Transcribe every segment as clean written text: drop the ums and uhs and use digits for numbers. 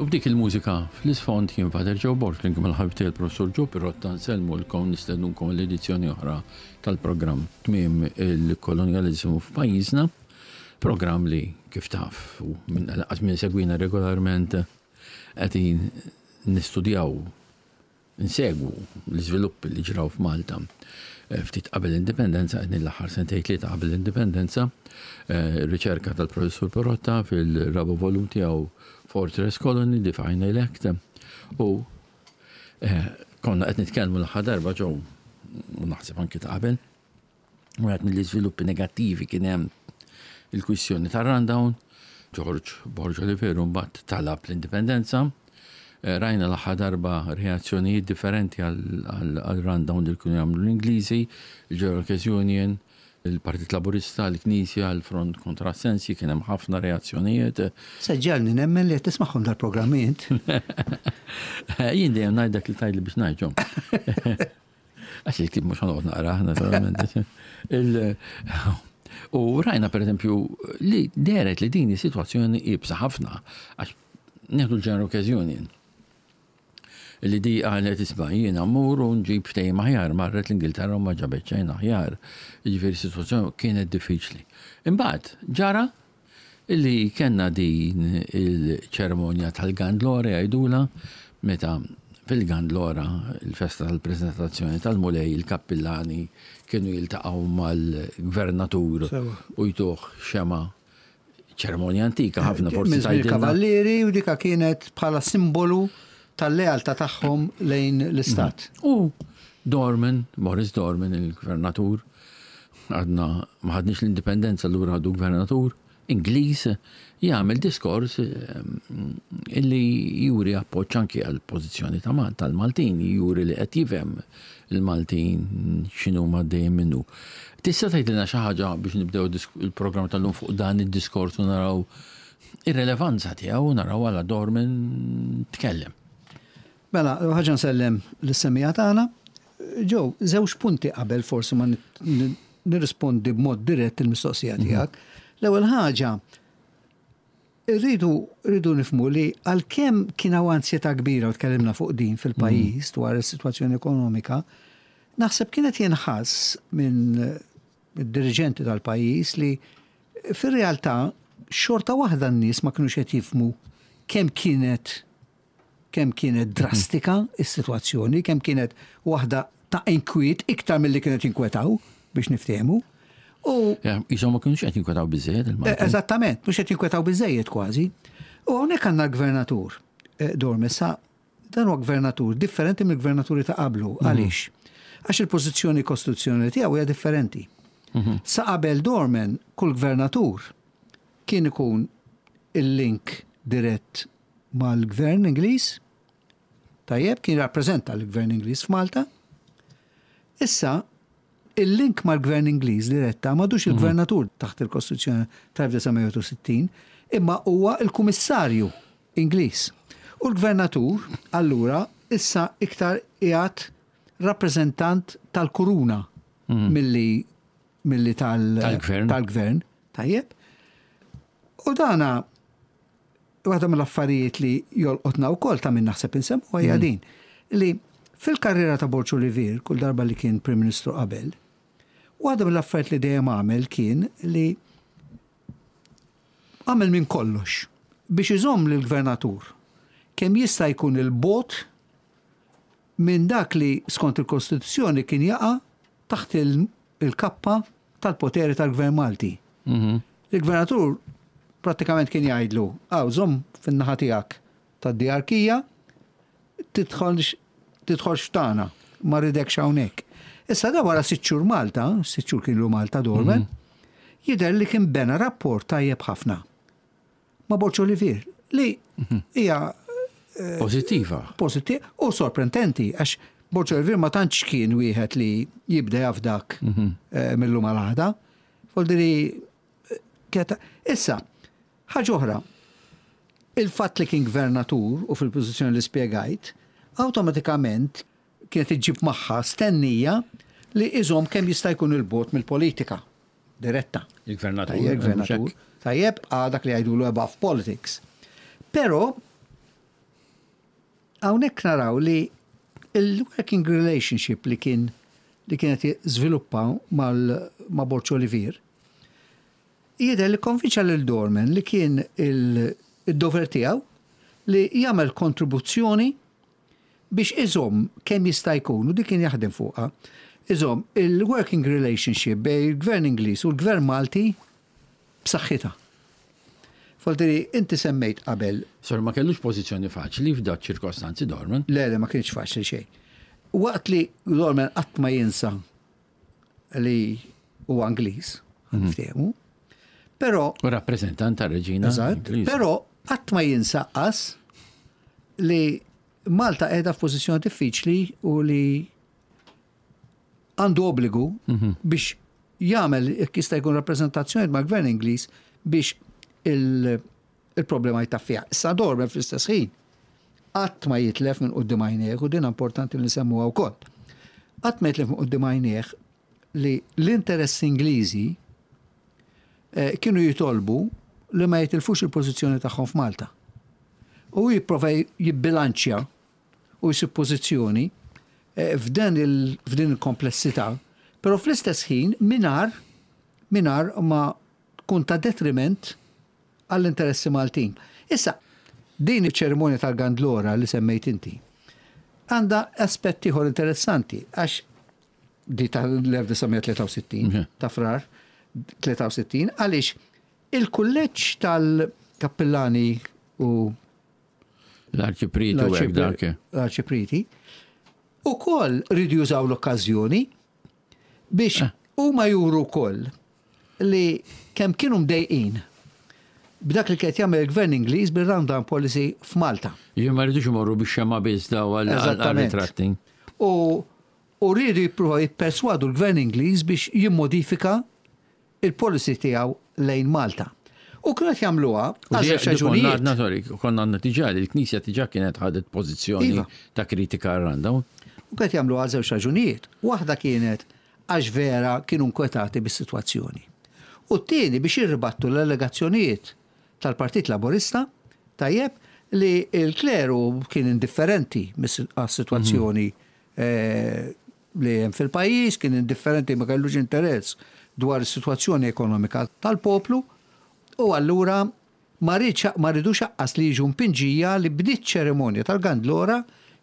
U b'dik il-mużika fl-isfond jien Father Joe Borg flimkien mal-ħabib tiegħi l-Professur Joe Pirotta nsellmulkom nistednunkom għall-edizzjoni oħra tal-programm Tmiem il-Kolonjaliżmu f'pajjiżna, programm li kif taf u minn lanqas min isegwina regolarment qegħdin nistudjaw Insegwu l-iżviluppi li ġraw f'Malta ftit qabel l-Indipendenza, qegħdin l-aħħar sentejn tlieta qabel l-Indipendenza, riċerka tal-Professur Perotta fil-raba' volum tiegħu Fortress Colony, The Final Act, u konna qed nitkellmu l-aħħar darba ġew u naħseb anki ta' qabel. Wieħed mill-iżviluppi negattivi kien hemm il-kwistjoni tar-rundown, George Borg Oliveru mbagħad talab l-indipendenza. Eh, rajna l-aħħar darba reazzjonijiet differenti għal rundown li kienu jagħmlu l-Ingliżi, il-Workers Union, il-Partit Laburista, l-Knisja, l-Front kontra Sensi, kien hemm ħafna reazzjonijiet. Seġġalni nemmen li qed tismagħhom dal-programmi int. Jien dejjem ngħid dak li tgħidli biex ngħidhom. Għax il-ktib mhux ħanoqgħod naqrah, naturalment. U rajna per eżempju li deret li din is-sitwazzjoni ibsa ħafna għax nieħdu l-General Workers Union li di qalet isma' jiena mmur u nġib ftehim aħjar, marret l-Ingilterra u ma ġabet xejn aħjar. Jiġifieri s-sitwazzjoni kienet diffiċli. Imbagħad ġara Illi kellna din il-ċerimonja tal-Gandlora jgħidulha, meta fil-Gandlora, il-festa tal-preżentazzjoni tal-Mulej, il-kappillani kienu jiltaqgħu mal-gvernatur u jtuh xemgħa, ċerimonja antika ħafna forsi Minn żmien il-Kavallieri u dika kienet bħala simbolu tal-lealtà tagħhom lejn l-istat. U Dorman, Morris Dorman, il-gvernatur, Għadna ma ħadniex l-indipendenza allura għadu gvernatur Ingliż jagħmel diskors illi juri appoġġ anki għal pożizzjoni ta' tal-Maltin, juri li qed jifhem il-Maltin x'inhuma għaddejjin minnu. Tista' tgħidilna xi ħaġa biex nibdew il-programm tal-lum fuq dan id-diskors u naraw ir-relevanza tiegħu u naraw għala Dorman tkellem. Mela, l-ewwel ħaġa nsellem lis-semmiegħa tagħna. Joe, żewġ punti qabel forsi ma nirrispondi b'mod dirett il-mistoqsija mhm. tiegħek. L-ewwel ħaġa, irridu rridu nifmu li għalkemm kien hawn ansjetà kbira u tkellimna fuq din fil-pajjiż mhm. dwar is-sitwazzjoni ekonomika, naħseb kienet jinħass minn diriġenti tal-pajjiż li fir-realtà xorta waħda n-nies ma kinux qed jifmu kemm kienet kemm kienet drastika s-sitwazzjoni, kemm kienet waħda ta' inkwiet iktar milli kienet jinkwetaw biex niftehmu. U Jisom ma kienux qed jinkwetaw biżejjed il-Maltin. Eh, eżattament, mhux qed jinkwetaw biżejjed kważi. U hawnhekk għandna l-gvernatur eh, Dormessa, dan huwa gvernatur differenti mill-gvernaturi ta' qablu. Mhm. Għaliex? Għax il-pożizzjoni kostituzzjonali tiegħu hija differenti. Mhm. Sa qabel Dorman, kull gvernatur kien ikun il-link dirett mal-gvern Ingliż, tajjeb, kien jirrappreżenta l-gvern Ingliż f'Malta. Issa, il-link mal-gvern Ingliż diretta m'għadux mhm. il-gvernatur taħt il-Kostituzzjoni tal-1960, imma huwa il-kummissarju Ingliż. U l-gvernatur, allura, issa iktar qiegħed rappreżentant tal-kuruna mhm. milli milli tal-gvern. Tal-gvern, tajjeb. U dana Waħda mill-affarijiet li jolqotna wkoll ta' min naħseb insemmu hija mm. din li fil-karriera ta' Borg Olivier, kull darba li kien Prim Ministru qabel, waħda mill-affarijiet li dejjem għamel kien li għamel minn kollox biex iżomm lill-gvernatur kemm jista' jkun il-bot minn dak li skont il-Kostituzzjoni kien jaqa' taħt il-kappa tal-poteri tal-Gvern Malti. Mhm. Il-gvernatur prattikament kien jgħidlu, għaw, żomm fin-naħa tiegħek tad-diarkija, tidħolx tidħolx f'tagħna, ma rridekx hawnhekk. Issa da wara sitt xhur Malta, sitt xhur kienu Malta Dorman, mhm. jidher li kien bena rapport tajjeb ħafna ma' Borg Olivier li mhm. hija eh, Pozittiva. Pozittiva u sorprendenti għax Borg Olivier ma tantx kien wieħed li jibda jafdak mhm. eh, mill-lum għal-għada. Foldiri eh, issa, ħaġa oħra, il-fatt li kien gvernatur u fil-pożizzjoni li spjegajt, awtomatikament kienet iġġib magħha stennija li iżomm kemm jista' jkun il-bot mill-politika. diretta. Il-gvernatur. Il-gvernatur. Tajjeb, għal dak li jgħidulu above politics. Però Hawnhekk naraw li il-working relationship li kien li kienet żviluppa ma' Borg Olivier jidher li kkonvinċa lil Dorman li kien il-dover tiegħu li jagħmel kontribuzzjoni biex iżomm kemm jista' jkun, u dik kien jaħdem fuqha, iżomm il-working relationship bejn il-Gvern Ingliż u l-Gvern Malti b'saħħitha. Foltiri, inti semmejt qabel. Sor ma kellux pożizzjoni faċli f'dak ċirkostanzi Dorman. Le, le, ma kienx faċli xejn. Waqt li Dorman qatt ma jinsa li huwa Ingliż, niftehmu. Però U rappreżentant tar-reġina. Eżatt, però qatt ma jinsa qas li Malta qiegħda f'pożizzjoni diffiċli u li għandu obbligu biex jagħmel jekk jista' jkun rappreżentazzjoni mal-Gvern Ingliż biex il-problema jtaffija. Issa Dorman fl-istess ħin qatt ma jitlef minn quddiem għajnejh u din importanti li nsemmuha wkoll. Qatt ma jitlef minn quddiem għajnejh li l-interessi Ingliżi kienu jitolbu li ma jitilfux il-pożizzjoni tagħhom f'Malta. U jipprova jibbilanċja u jsib pożizzjoni f'dan f'din il-komplessità, però fl-istess ħin mingħajr mingħajr ma tkun ta' detriment għall-interessi Maltin. Issa, din iċ-ċerimonja tal-Gandlora li semmejt inti għandha aspett ieħor interessanti għax di tal-1963, ta' Frar 63, għaliex il-kulleġġ tal-kappillani u l-arċipriti u hekk dak. L-arċipriti ukoll rridu jużaw l-okkażjoni biex huma juru wkoll li kemm kienu mdejqin b'dak li kien jagħmel il-Gvern Ingliż bil-rundown policy f'Malta. Jien ma rridux imorru biex xema biss daw għal-ritratti. U u rridu jippruvaw jipperswadu l-Gvern Ingliż biex jimmodifika il-policy tiegħu lejn Malta. U kienu qed jagħmluha għal żewġ raġunijiet. Sorry, konna għandna diġà li l-Knisja diġà kienet ħadet pożizzjoni iva. ta' kritika għal-rundown. U qed jagħmluha għal żewġ raġunijiet. Waħda kienet għax vera kienu nkwetati bis-sitwazzjoni. U t-tieni biex jirribattu l-allegazzjonijiet tal-Partit Laburista, tajjeb, li l-kleru kien indifferenti għas-sitwazzjoni li hemm fil-pajjiż, kien indifferenti, ma kellux interess dwar is-sitwazzjoni ekonomika tal-poplu u allura ma riedx ma ridux aqqas li jiġu mpinġija li bdiet ċerimonja tal-Gandlora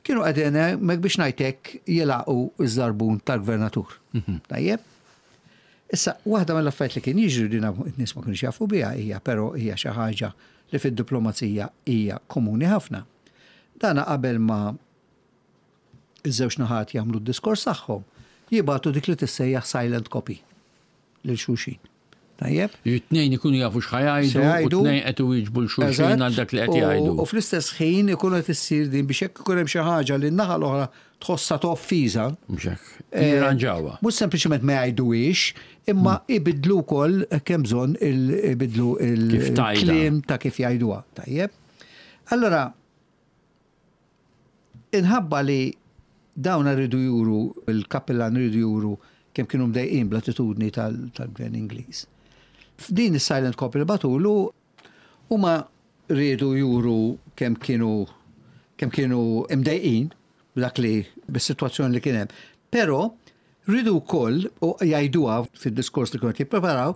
kienu qegħdin hemmhekk biex ngħid hekk jilagħqu ż-żarbun tal-gvernatur. Tajjeb? Issa, waħda mill-affarijiet li kien jiġri din n-nies ma kinux jafu biha hija però hija xi ħaġa li fid-diplomazija hija komuni ħafna. Dana qabel ma iż-żewġ naħat jagħmlu d-diskors tagħhom, jibagħtu dik li tissejjaħ silent copy lil xulxin. Tajjeb? It-tnejn ikunu jafu x'ħa jgħidu, u t-tnejn qed iwieġbu 'l xulxin għal dak li qed jgħidu. U fl-istess ħin ikun qed issir din biex jekk ikun hemm xi ħaġa li n-naħa l-oħra tħossha ta' offiża. Mhux hekk. Jirranġawha. Mhux sempliċement ma jgħiduhiex, imma ibidlu wkoll hekk hemm bżonn ibidlu il-kliem ta' kif jgħiduha. Tajjeb? Allora, Inħabba li dawn rridu juru, il-kappillan rridu juru kemm kienu mdejqin bl-attitudni tal-gvern Ingliż. F'din is-silent copy li bagħtulu huma riedu juru kemm kienu kemm kienu imdejqin b'dak li bis-sitwazzjoni li kien hemm. Però rridu wkoll u jgħiduha fid-diskors li kienu qed jippreparaw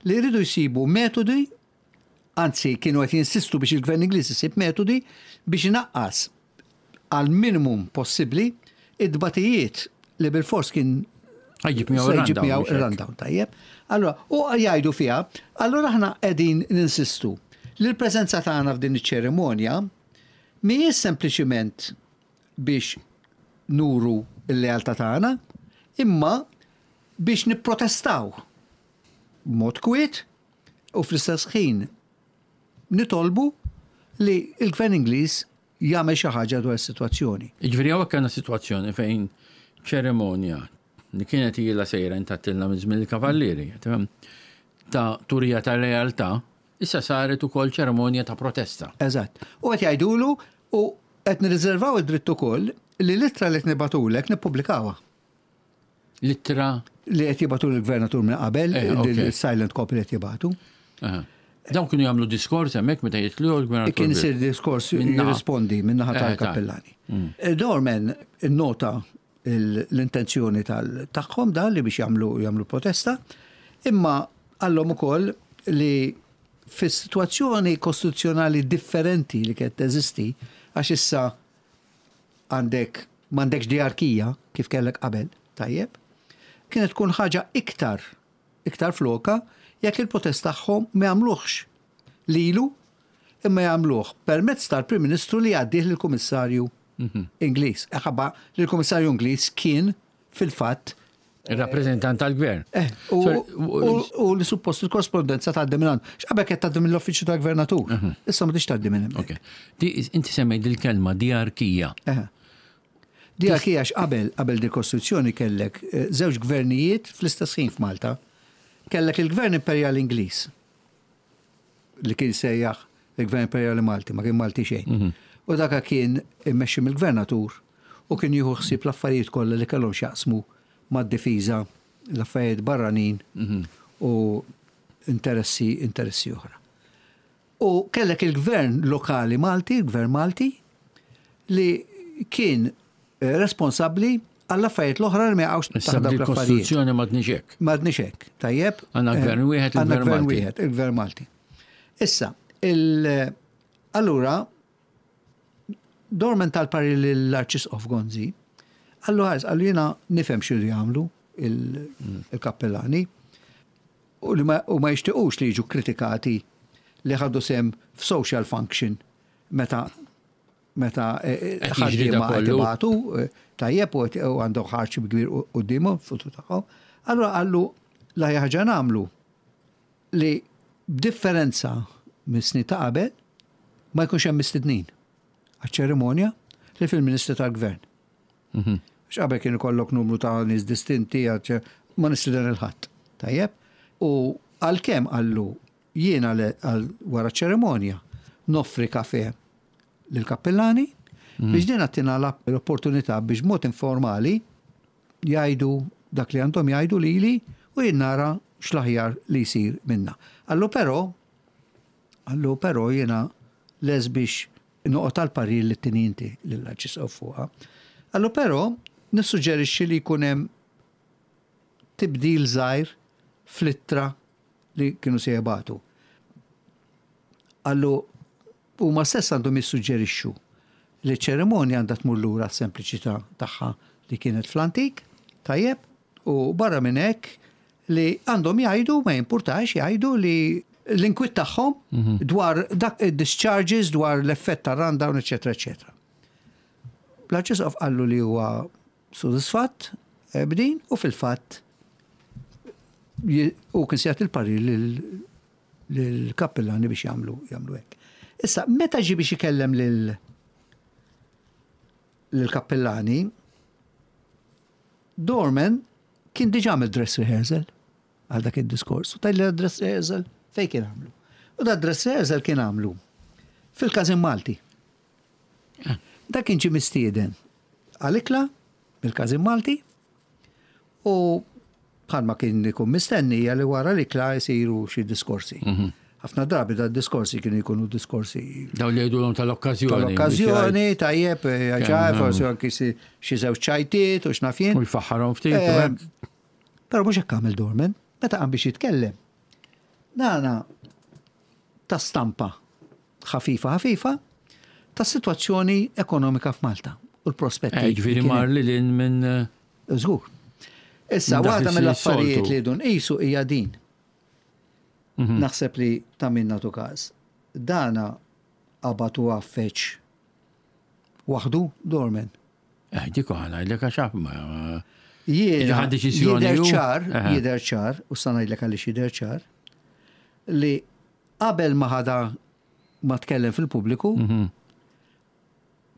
li rridu jsibu metodi Anzi, kienu qed jinsistu biex il-Gvern Ingliż isib metodi biex inaqqas għal minimum possibbli it-tbatijiet li bilfors kien Ħajġib miegħu ir-rundown, tajjeb. Allora, u jgħidu fiha, allora aħna qegħdin ninsistu li l-preżenza tagħna f'din iċ-ċerimonja mhijiex sempliċiment biex nuru l-lealtà tagħna, imma biex nipprotestaw b'mod kwiet u fl-istess ħin nitolbu li l-Gvern Ingliż jagħmel xi ħaġa dwar is-sitwazzjoni. Jiġifieri hawnhekk għandna sitwazzjoni fejn ċerimonja li kienet ilha sejra intattilna minn żmien il-Kavallieri, ta' turija ta' lealtà, issa saret ukoll ċerimonja ta' protesta. Eżatt. U qed jgħidulu u qed nirriservaw id-dritt ukoll li l-ittra li qed nibagħtulek nippubblikawha. L-ittra li qed jibgħatu lill-gvernatur minn qabel, il-silent copy li qed jibgħatu. Dawn kienu jagħmlu diskors hemmhekk meta jitlu l-gvernatur. Kien isir diskors jirrispondi min-naħa tal-kappellani. Dorman innota l-intenzjoni tagħhom dan li biex jagħmlu jagħmlu protesta, imma qallhom ukoll li fis-sitwazzjoni kostituzzjonali differenti li kienet teżisti, għax issa għandek m'għandekx diarkija kif kellek qabel, tajjeb, kienet tkun ħaġa iktar iktar floka jekk il-protest tagħhom ma jagħmluhx lilu imma jagħmluh permezz tal-Prim Ministru li jgħaddih lill-Kummissarju Ingliż. Ħabba li l-Kummissarju Ingliż kien fil-fatt Il-rappreżentant tal-gvern. Eh, u li suppost il-korrespondenza tgħaddi minn għandu. X'qabel qed tgħaddi mill-uffiċċju tal-gvernatur. Issa ma tix tgħaddi minn hemmhekk. Inti semmejt il-kelma diarkija. Diarkija għax qabel qabel di kostituzzjoni kellek eh, żewġ gvernijiet fl-istess ħin f'Malta. Kellek il-Gvern Imperjali Ingliż li kien sejjaħ il-Gvern Imperjali Malti, ma kien Malti xejn. Mhm. U daka kien immexxi mill-gvernatur u kien jieħu ħsieb l-affarijiet kollha li kellhom x'jaqsmu mad-difiża, l-affarijiet barranin mhm. u interessi interessi oħra. U kellek il-gvern lokali Malti, il-gvern Malti, li kien eh, responsabbli għall-affarijiet l-oħra li ma jaqgħux taħt dawk l-affarijiet. Il-Kostituzzjoni m'għadniex hekk. M'għadniex hekk, tajjeb. Għandna eh, gvern wieħed, il-gvern Malti. wieħed, il-gvern Malti. Issa, il allura Dorman tal-pari l-Arċisqof Gonzi, għallu ħares, għallu jiena nifhem x'iridu jagħmlu il-kappellani u li ma jixtiequx li jiġu kritikati li ħadu sem f'social function meta meta eh, eh, ħaddiema qed ibatu eh, tajjeb u għandhom ħarċ kbir quddiemhom futur tagħhom. Allura qallu la ħaġa nagħmlu li b'differenza mis-snin ta' qabel ma jkunx hemm mistednin għaċ-ċerimonja li fil-Ministri tal-Gvern. Mhm. Għax qabel kien ikollok numru ta' nies distinti ma nistieden il-ħadd. Tajjeb? U għalkemm qallu Jiena wara ċ-ċerimonja noffri kafè lill-kappillani biex din għattina l-opportunità biex b'mod informali jgħidu dak li għandhom jgħidu lili u jien nara x'l-aħjar li jsir minnha. Qallu però, qallu però jiena lest biex noqgħod għall-parir li ttini inti lill-Arċisqof fuqha. Qallu però nissuġġerixxi li jkun hemm tibdil żgħir fl-ittra li kienu se jibagħtu. Qallu huma stess għandhom jissuġġerixxu li ċ-ċerimonja għandha tmur lura għas-sempliċità tagħha li kienet fl-antik, tajjeb, u barra minn hekk li għandhom jgħidu, ma jimpurtax jgħidu li l-inkwiet tagħhom mhm. dwar dak discharges dwar l-effett tar-rundown, eċetera, eċetera. L-Arċisqof qallu li huwa sodisfatt eh, b'din u fil-fatt u kien se jagħti l-parir lill-kappillani biex jagħmlu jagħmlu hekk. Issa, meta ġie biex ikellem lil lill-kappillani, Dorman kien diġà għamel dress rehearsal għal dak id-diskors. U tajli dress rehearsal fejn kien għamlu. U da dress rehearsal kien għamlu fil-Każin Malti. Dak kien ġie mistieden għal ikla mill-Każin Malti u bħalma kien ikun mistenni hija li wara l-ikla jsiru xi diskorsi. Mhm. Ħafna drabi da diskorsi kienu jkunu diskorsi. Daw li jgħidulhom tal-okkażjoni. Tal-okkażjoni, tajjeb, ġaj, forsi anki xi żewġ ċajtiet u x'naf jien. U jfaħħarhom ftit. Eh, però mhux hekk għamel Dorman, meta qam biex jitkellem. Nana ta' stampa ħafifa ħafifa tas-sitwazzjoni ekonomika f'Malta u l-prospetti. Eh, ġifieri mar lil hinn minn. Eh, Żgur. Issa, waħda mill-affarijiet li dun qisu hija din. Mhm. Naħseb li ta' min nagħtu każ. Dana qabad u għaffeċ waħdu Dorman. Eh, dik ngħidlek għax ma. Jiena jidher ċar, jidher ċar, u sa ngħidlek għaliex jidher ċar, li Qabel ma ħadha ma tkellem fil-pubbliku,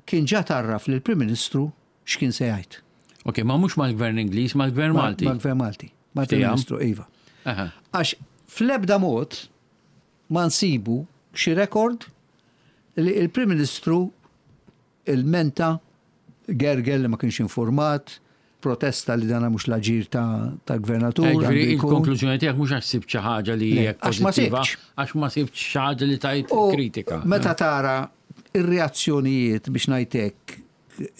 kien ġa tgħarraf lill-Prim Ministru x'kien se jgħid. Ok, ma mhux mal-Gvern Ingliż, mal-Gvern Malti. Mal-Gvern Malti. Mal-Prim Ministru, iva. Għax fl-ebda mod ma nsibu xi rekord li l-Prim Ministru ilmenta gergel li ma kienx informat. protesta li dana mhux l-aġir ta' gvernatur. Ġifieri il-konklużjoni tiegħek mhux għax sibt xi ħaġa li hija pożittiva, għax ma sibt xi ħaġa li tajt kritika. Meta tara ir-reazzjonijiet biex ngħidlek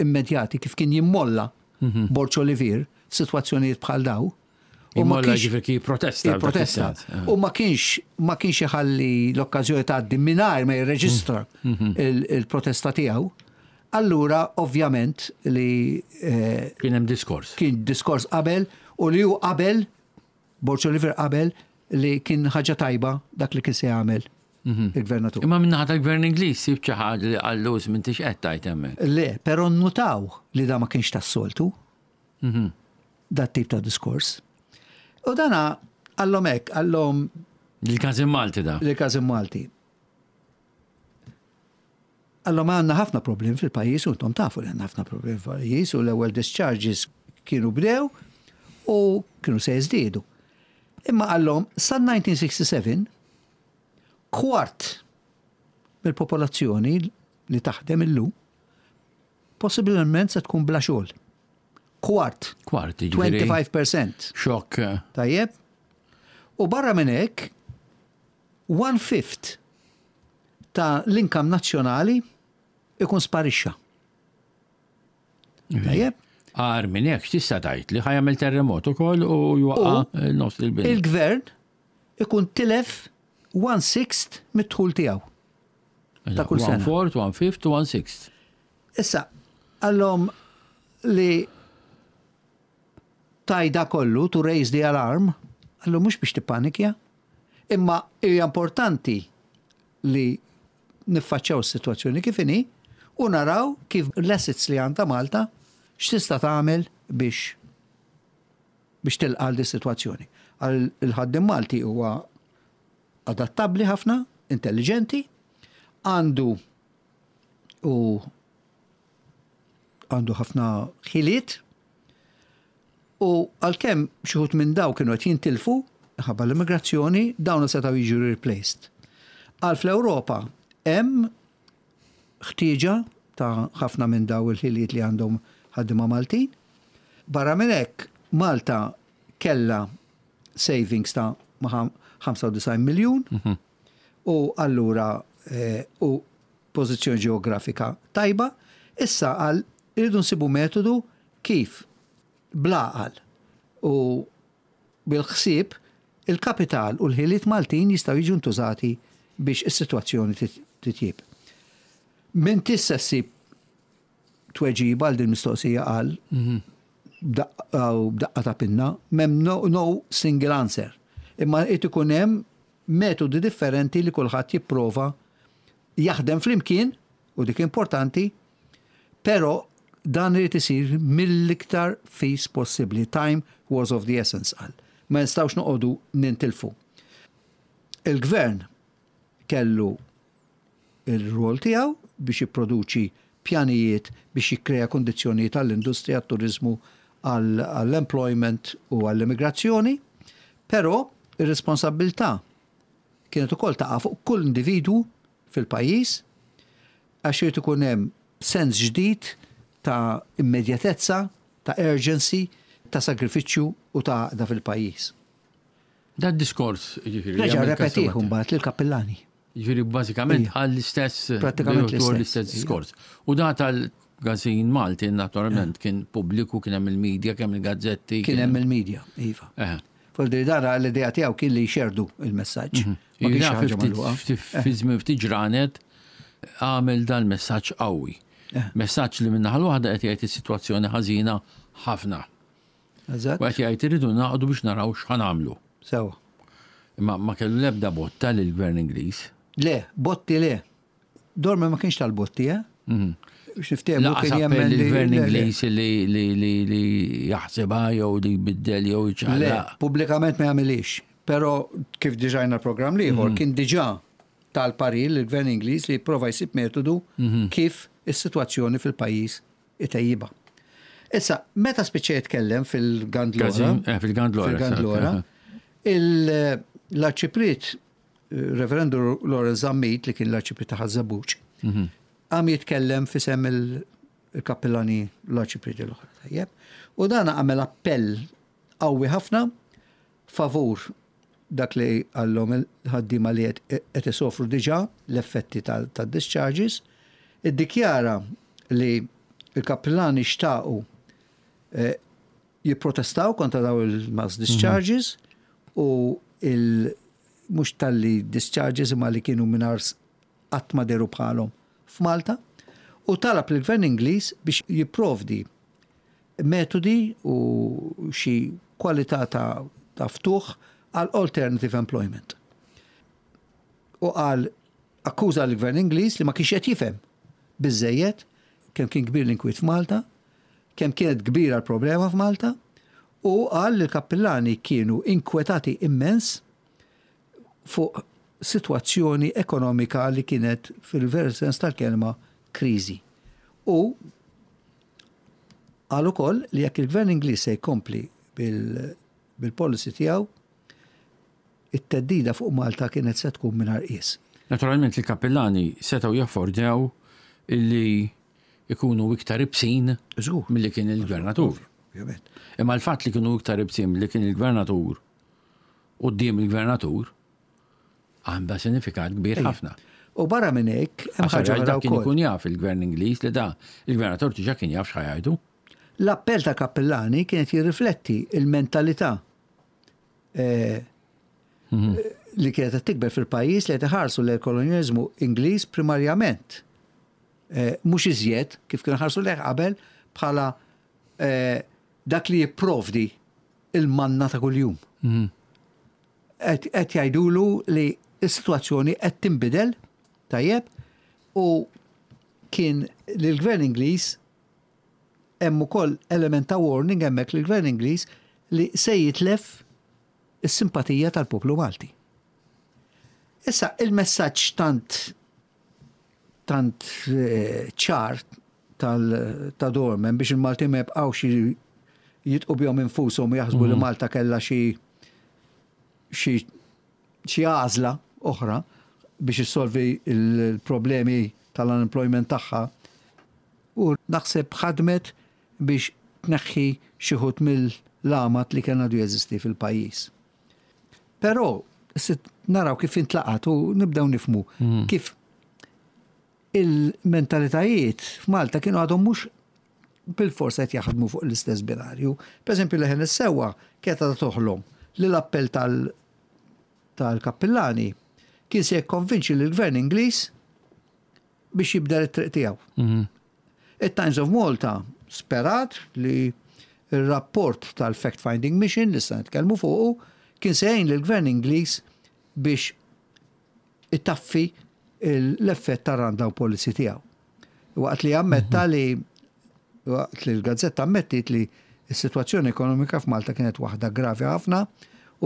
immedjati kif kien jimmolla mhm. Borġ Olivier f'sitwazzjonijiet bħal daw. U ma kienx ġifieri kien protesta. Protesta. Eh. U ma kienx ma kienx iħalli l-okkażjoni tgħaddi mingħajr ma jirreġistra mhm. il-protesta tiegħu. Allura ovvjament li eh, kien hemm diskors. Kien diskors qabel u li hu qabel Borġ Oliver qabel li kien ħaġa tajba dak li kien se jagħmel mhm. il-gvernatur. Imma minnaħa tal-gvern Ingliż sib xi ħaġa li qallu m'intix qed tgħid hemmhekk. Le, però nnutaw li da ma kienx tas-soltu. Mhm. Dat tip ta' diskors. U dana għallhom hekk, għallhom. Il-Każin Malti da. Il-Każin Malti. Allora għandna ħafna problemi fil-pajjiż u intom tafu li għandna ħafna problemi fil-pajjiż u l-ewwel discharges kienu bdew u kienu se jiżdiedu. Imma qallhom sa 1967 kwart mill-popolazzjoni li taħdem illum possibilment se tkun bla xogħol. Kwart. Kwart, 25%. Xokk. Tajjeb. U barra minn hekk, one fifth ta' l-income nazzjonali ikun sparixxa. Tajjeb? Agħar minn hekk x'tista' tgħid li ħa jagħmel terremot ukoll u jwaqqa' nofs il-bini. Il-gvern ikun tilef one sixth mid-dħul tiegħu. Ta' kull sena. One fourth, one fifth, one sixth. Issa, għallhom li tajda kollu to raise the alarm, għallu mhux biex tippanikja, Imma hija importanti li niffaċċjaw is-sitwazzjoni kif inhi u naraw kif l-assets li għandha Malta x'tista' tagħmel biex biex tilqa' għal dis-sitwazzjoni. Għal il-ħaddiem Malti huwa adattabbli ħafna, intelliġenti, għandu u għandu ħafna ħiliet U għalkemm xi wħud minn dawn kienu qed jintilfu minħabba l-immigrazzjoni, dawn setgħu jiġu replaced. Qal fl-Ewropa hemm ħtieġa ta' ħafna minn dawn il-ħiliet li għandhom ħaddiema Maltin. Barra minn hekk, Malta kellha savings ta' 95 miljun u allura u pożizzjoni ġeografika tajba. Issa qal irridu nsibu metodu kif bl-għaqal u bil-ħsieb, il-kapital u l-ħiliet Maltin jistgħu jiġu ntużati biex is-sitwazzjoni titjieb. M'intix se ssib tweġiba għal din mistoqsija qal b'daqqa ta' pinna, m'hemm no, no single answer. Imma irid ikun hemm metodi differenti li kulħadd jipprova jaħdem flimkien u dik importanti Però dan irid isir mill-iktar fis possibbli. Time was of the essence, qal. Ma nistgħux noqogħdu nintilfu. Il-Gvern kellu il-rwol tiegħu biex jipproduċi pjanijiet biex jikkrea kundizzjonijiet għall-industrija, għat-turiżmu, għall-employment u għall-immigrazzjoni, però ir-responsabbiltà kienet ukoll taqa' fuq kull individwu fil-pajjiż Għax irid ikun hemm sens ġdid ta' immedjatezza, ta' urgency, ta' sagrifiċċju u ta' għaqda fil-pajjiż. Dad-diskors, jiġifieri. Reġa' rrepetih imbagħad lill-kappillani. Jiġifieri bażikament qal l-istess. Prattikament l-istess diskors. U da tal-Gazin Malti naturalment kien pubbliku, kien hemm il-media, kien hemm il-gazzetti. Kien hemm il-media, iva. Voldiri dara l-idea tiegħu kien li jxerdu il-messaġġ. Mhm. Ma kienx ħaġa magħluqa. Fi żmien ftit ġranet għamel dal-messaġġ qawwi. Eh. Messaġġ li minnaħa l-waħda qed jgħid is-sitwazzjoni ħażina ħafna. Eżatt. U qed jgħid irridu naqdu biex naraw x'ħan nagħmlu. Sewa. Imma ma kellu l-ebda botta lill-gvern Ingliż. Le, botti le. Dormer ma kienx tal-botti, eh? Mhm. Biex niftehmu kien jemmen li l-gvern Ingliż li jaħsibha jew li jbiddel jew jċaqlaq. Le, pubblikament ma jagħmilix. Però kif diġà l-programm l-ieħor mhm. kien diġà tal-parir lill-gvern Ingliż li jipprova jsib metodu mhm. kif is-sitwazzjoni fil-pajjiż itejjibha. Issa, meta spiċċa jitkellem fil-Gandlora, eh, fil-Gandlora, fil-Gandlora, l-arċipriet Reverendu Lawrence Zammit li kien l-Arċipriet ta' Ħaż-Żebbuġ, mhm. qam jitkellem f'isem il-kappillani l-arċiprieti l-oħra. Tajjeb. U dan għamel appell qawwi ħafna favur dak li qallhom il-ħaddiema li qed isofru diġà l-effetti tad-discharges, iddikjara li l-kappillani xtaqu eh, jipprotestaw kontra daw il-mass discharges u il mhux talli discharges imma li kienu mingħajr qatt ma dehru bħalhom f'Malta u talab lill-Gvern Ingliż biex jipprovdi metodi u xi kwalità ta', ta ftuħ għal alternative employment. U qal akkuża l-Gvern Ingliż li ma kienx qed jifhem biżejjed kemm kien kbir l-inkwiet f'Malta, kemm kienet kbira l-problema f'Malta, u qal li l-kappillani kienu inkwetati immens fuq sitwazzjoni ekonomika li kienet fil-veru sens tal-kelma kriżi. U qal ukoll li jekk il-Gvern Ingliż se jkompli bil-policy tiegħu, it-theddida fuq Malta kienet se tkun mingħajr qies. Naturalment il-kappillani setgħu jaffordjaw illi ikunu iktar ibsin milli kien il-gvernatur. Imma l-fatt li kienu iktar ibsin milli kien il-gvernatur quddiem il-gvernatur għandha sinifikat kbir ħafna. U barra minn hekk, hemm ħaġa oħra kien ikun jaf il-gvern Ingliż li da il-gvernatur diġà kien jaf x'ħa jgħidu. L-appell ta' Kappillani kienet jirrifletti il-mentalità eh, mhm. li kienet qed tikber fil-pajjiż li qed iħarsu lejn kolonjaliżmu Ingliż primarjament. Eh, mhux iżjed kif kienu ħarsu lejh qabel bħala eh, dak li jipprovdi il-manna ta' kuljum. Mhm. Qed jgħidulu li s-sitwazzjoni qed tinbidel tajjeb u kien li l-gvern Ingliż hemm ukoll element ta' warning hemmhekk li l-gvern Ingliż li se jitlef is-simpatija tal-poplu Malti. Issa il-messaġġ tant tant eh, ċar ta' Dorman biex il-Maltin ma jibqgħux jitqu bihom infushom u jaħsbu li mhm. Malta kellha xi xi xi għażla oħra biex issolvi il-problemi tal-unemployment tagħha u naħseb ħadmet biex tneħħi xi ħut mill-għamad li kien għadu jeżisti fil-pajjiż. Però naraw kif intlaqat u nibdew nifmu mhm. kif il-mentalitajiet f'Malta kienu għadhom mhux bil-fors qed jaħdmu fuq l-istess binarju. Per eżempju, leħen is-sewwa kienet għadha toħlom li l-appell tal-kappillani kien se jikkonvinċi lill-gvern Ingliż biex jibdel it-triq tiegħu. Mhm. It-Times of Malta sperat li r-rapport tal-Fact Finding Mission li se nitkellmu fuqu kien se jgħin lill-gvern Ingliż biex itaffi l-effett tar-rundown policy tiegħu. Waqt li ammetta mhm. li waqt li l-gazzetta ammettit li s-sitwazzjoni ekonomika f'Malta kienet waħda gravi ħafna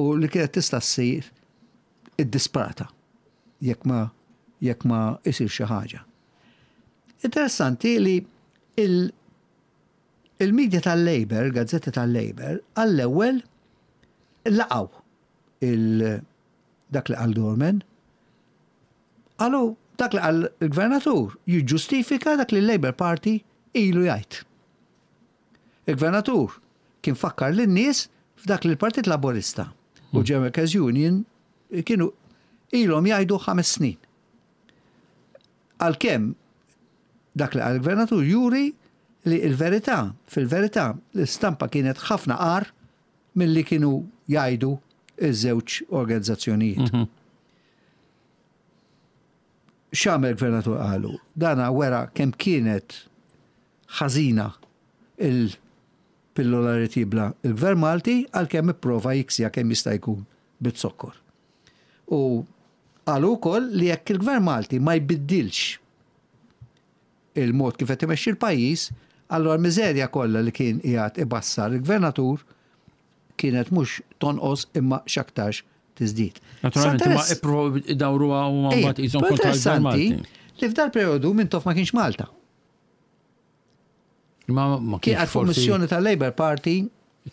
u li kienet tista' ssir iddisprata jekk ma jekk ma isir xi ħaġa. Interessanti li il il-media tal-Labour, gazzetti tal-Labour, għall-ewwel laqgħu il dak li qal Dorman. Qalu dak li qal il-gvernatur jiġġustifika dak li l-Labour Party ilu jgħid. Il-gvernatur kien fakkar lin-nies f'dak li l-Partit Laburista u hmm. General Workers Union kienu ilhom jgħidu ħames snin. Għalkemm dak li qal il-gvernatur juri li l-verità, fil-verità, l-istampa kienet ħafna qar milli kienu jgħidu iż-żewġ organizzazzjonijiet. Mhm. X'għamel gvernatur qalu? Dana wera kemm kienet ħażina il-pillola li tibla il-Gvern Malti għalkemm ipprova jiksija kemm jista' jkun bit-zokkor. U qalu wkoll li jekk il-Gvern Malti ma jbiddilx il-mod kif qed imexxi l-pajjiż, allura l-miżerja kollha li kien qiegħed ibassar il-gvernatur kienet mhux tonqos imma x'aktarx tiżdied. Naturalment, ma ippruvaw idawruha u mbagħad qishom kontra Interessanti li f'dal perjodu Mintoff ma kienx Malta. Ma ma Kien kienx fuq missjoni tal-Labour Party.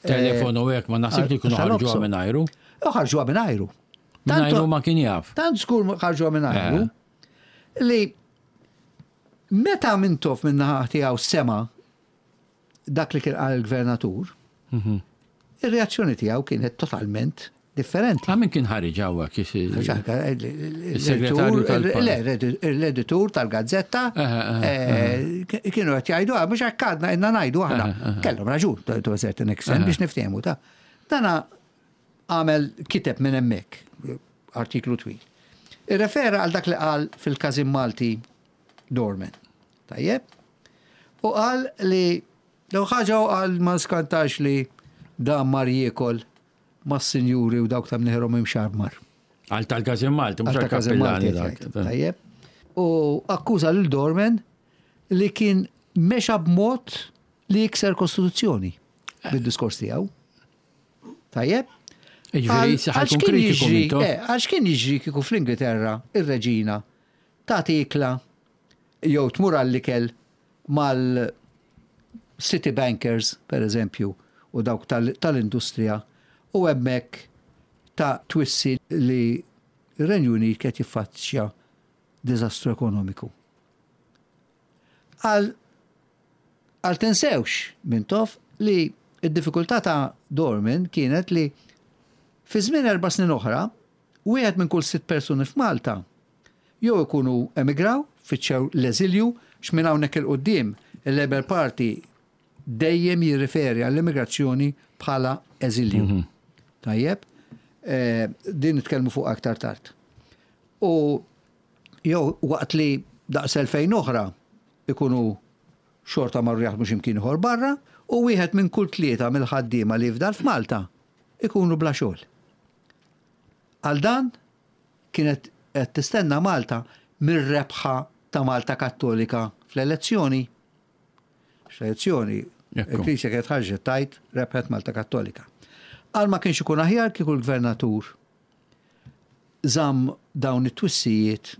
Telefon u hekk ma naħsibx li kienu ħarġuha minn ajru. Ħarġuha minn ajru. Minn ajru ma kien jaf. Tant żgur ħarġuha minn ajru. Eh. Li. Meta Mintoff min-naħa tiegħu sema' dak li kien qal il-gvernatur, ir-reazzjoni tiegħu kienet totalment differenti. Ah, min kien ħareġ hawnhekk? Il-segretarju tal Le, l-editur tal-gazzetta eh, kienu qed jgħidu ah, mhux hekk għadna inna ngħidu aħna. Kellhom raġun to a certain extent biex niftehmu ta' dana għamel kiteb minn hemmhekk artiklu twil. Irrefera għal dak li qal fil-Każin Malti Dorman. Tajjeb? U qal li l ħaġa u qal ma skantax li dan mar jiekol mas-sinjuri u dawk ta' mnieħerhom imxarmar. Għal tal-Każin Malti, mhux għal-Każin Malti. Tajjeb. U akkuża lil Dorman li kien mexa b'mod li jikser kostituzzjoni bid-diskors tiegħu. Tajjeb? Jiġifieri ħajkun kritiku mintoff. Eh, għax kien jiġri kieku fl-Ingilterra ir-reġina tagħti ikla jew tmur għall-ikel mal-city bankers, per eżempju, u dawk tal-industrija, u hemmhekk ta' twissi li r-Renju Unit qed jiffaċċja diżastru ekonomiku. Għal għal tinsewx Mintoff li d-diffikultà ta' Dorman kienet li fi żmien 4 snin oħra wieħed minn kull sitt persuni f'Malta jew ikunu emigraw, fittxew l-eżilju, għax minn hawnhekk 'il quddiem il-Labour Party dejjem jirriferi għall-immigrazzjoni bħala eżilju. Tajjeb? Din nitkellmu fuqha aktar tard. U jew waqt li daqs 2000 oħra ikunu xorta marru jaħdmu xi mkien ieħor barra u wieħed minn kull tlieta mill-ħaddiema li jifdal f'Malta ikunu bla xogħol. Għal dan kienet qed tistenna Malta mir-rebħa ta' Malta Kattolika fl-elezzjoni. Fl-elezzjoni, il-Knisja kienet ħarġet tgħid rebħet Malta Kattolika. Għal ma kienx ikun aħjar kieku l-gvernatur żamm dawn it-twissijiet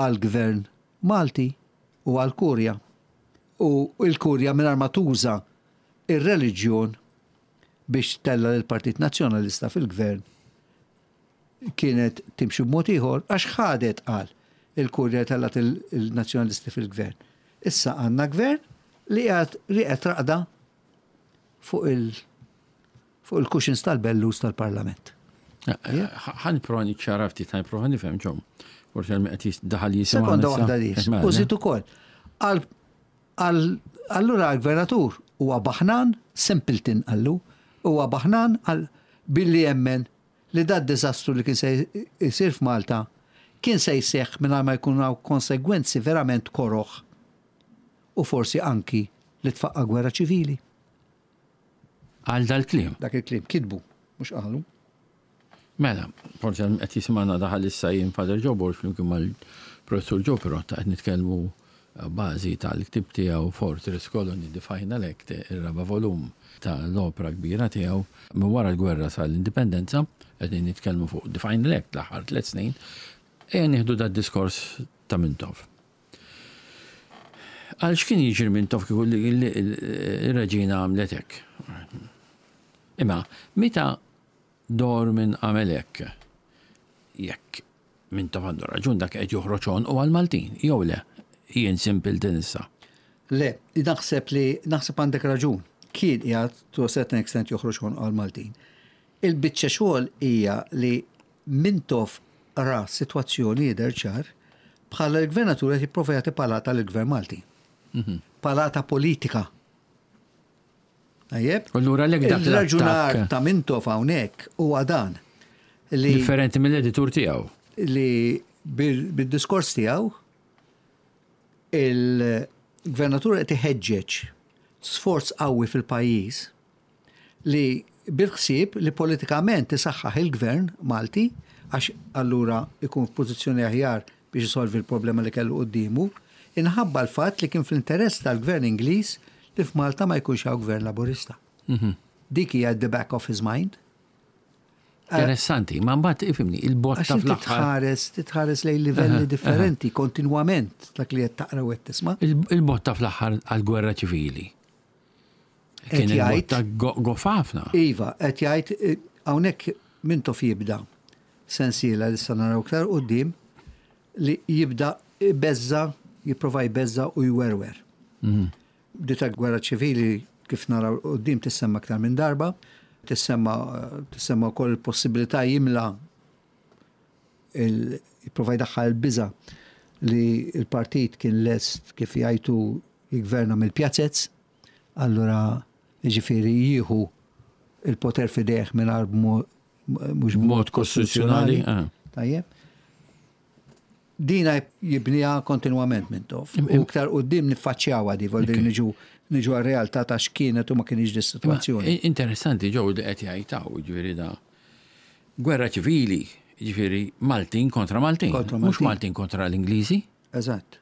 għall-gvern Malti u għall-Kurja. U l-Kurja mingħajr ma tuża ir-reliġjon biex tella lill-Partit Nazzjonalista fil-gvern kienet timxi b'mod ieħor għax ħadet qal il-Kurja tellgħet il-Nazzjonalisti fil-gvern. Issa għandna gvern li qiegħed rieqed raqda fuq il fuq il-cushions tal-bellus tal-Parlament. Ħa nipprova niċċara ftit, ħa nipprova nifhem ġom. Forsi għal qed daħal jisimgħu. Sekonda waħda dis. U żid ukoll. Allura l-gvernatur huwa baħnan, simpleton qallu, huwa baħnan għal billi jemmen li dad diżastru li kien se jsir f'Malta kien se jseħħ mingħajr ma jkun hawn konsegwenzi verament koroh u forsi anki li tfaqqa' gwerra ċivili. Għal dal-kliem. Dak il-kliem kitbu, mhux qalu. Mela, forsi qed jisimgħana daħal issa jien Father Joe Borg flimkien mal-Professur Joe Pirotta qed nitkellmu bażi tal-ktieb tiegħu Fortress Colony The Final Act, ir-raba' volum tal-opra kbira tiegħu minn wara l-gwerra sal-indipendenza, qegħdin nitkellmu fuq The Final Act l-aħħar tliet snin, ejja nieħdu dad-diskors ta' Mintoff. Għal x'kien jiġri Mintoff kieku r-reġina għamlet hekk? Imma meta Dormin għamel hekk, jekk Mintoff għandu raġun dak qed joħroġ għonqu għall-Maltin, jew le? Jien simpleton issa. Le, naħseb li naħseb għandek raġun. Kien qiegħed to a certain extent joħroġ għonqu għall-Maltin. Il-biċċa xogħol hija li Mintoff ra s-sitwazzjoni jidher ċar bħala l-gvernatur qed jipprova jagħti palata lill-Gvern Malti. Palata politika. Tajjeb? Allura lek dak Il-raġunar ta' Mintoff hawnhekk huwa dan. Li Differenti mill-editur tiegħu. Li bil-diskors tiegħu il-gvernatur qed iħeġġeġ sforz qawwi fil-pajjiż li bil-ħsieb li politikament isaħħaħ il-gvern Malti għax allura ikun f'pożizzjoni aħjar biex isolvi l-problema li kellu quddiemu, inħabba l-fatt li kien fl-interess tal-gvern Ingliż li f'Malta ma jkunx hawn gvern Laburista. Dik hija at the back of his mind. Interessanti, ma mbagħad ifhimni, il-botta fl-aħħar. Titħares, titħares lejn livelli differenti kontinwament dak li qed taqra u qed tisma'. Il-botta fl-aħħar għall-gwerra ċivili. Kien il-botta gofa ħafna. Iva, qed jgħid hawnhekk Mintoff jibda sensiela li sa naraw iktar quddiem li jibda ibeżża' Jipprova jbeżża' u jwerwer. Di ta' gwerra ċivili kif naraw quddiem tissemma aktar minn darba, tissemma tissemma wkoll il-possibilità jimla jipprova jdaħħal il-biża' li l-partit kien lest kif jgħidu jiggverna mill-pjazez, allura jiġifieri jieħu il-poter f'idejh mingħajr mhux b'mod kostituzzjonali. Tajjeb. Dina jibniha kontinwament Mintoff. U iktar quddiem niffaċċjawha di, vol niġu niġu għar-realtà ta' x'kienet u ma kienx di situazzjoni. Interessanti ġew li qed jgħid ġifieri da. Gwerra ċivili, ġifieri Maltin kontra Maltin. Mhux Maltin kontra l-Ingliżi. Eżatt.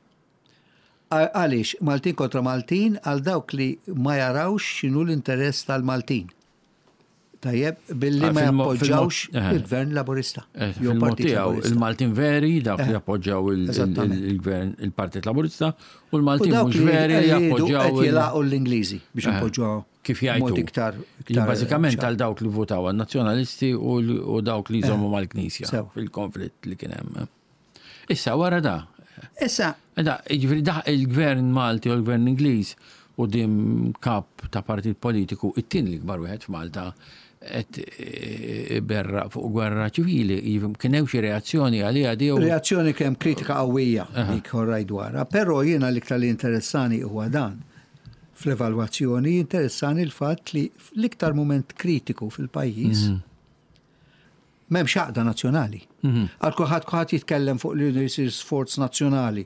Għaliex Maltin kontra Maltin għal dawk li ma jarawx x'inhu l-interess tal-Maltin. Tajjeb, billi ma jappoġġawx il-Gvern Laburista. Fil-mod tiegħu il-Maltin veri dawk li jappoġġaw il-Gvern il-Partit Laburista u l-Maltin mhux veri li jappoġġaw. Qed jilaqgħu l-Ingliżi biex jappoġġaw. Kif jgħidu. Iktar. Bażikament għal dawk li votaw għan-Nazzjonalisti u dawk li jżommu mal-Knisja fil-konflitt li kien hemm. Issa wara da. Issa. Da, jiġifieri da il-Gvern Malti u l-Gvern Ingliż u dim kap ta' partit politiku it-tieni l-ikbar wieħed f'Malta qed berra fuq gwerra ċivili, kien hemm xi reazzjoni għaliha di? Reazzjoni kemm kritika qawwija dik orraj dwarha, però jiena l-iktar li interessani huwa dan. Fl-evalwazzjoni jinteressani l-fatt li l-iktar mument kritiku fil-pajjiż M'hemmx għaqda nazzjonali. Għal kulħadd kulħadd jitkellem fuq li jridu jsir sforz nazzjonali,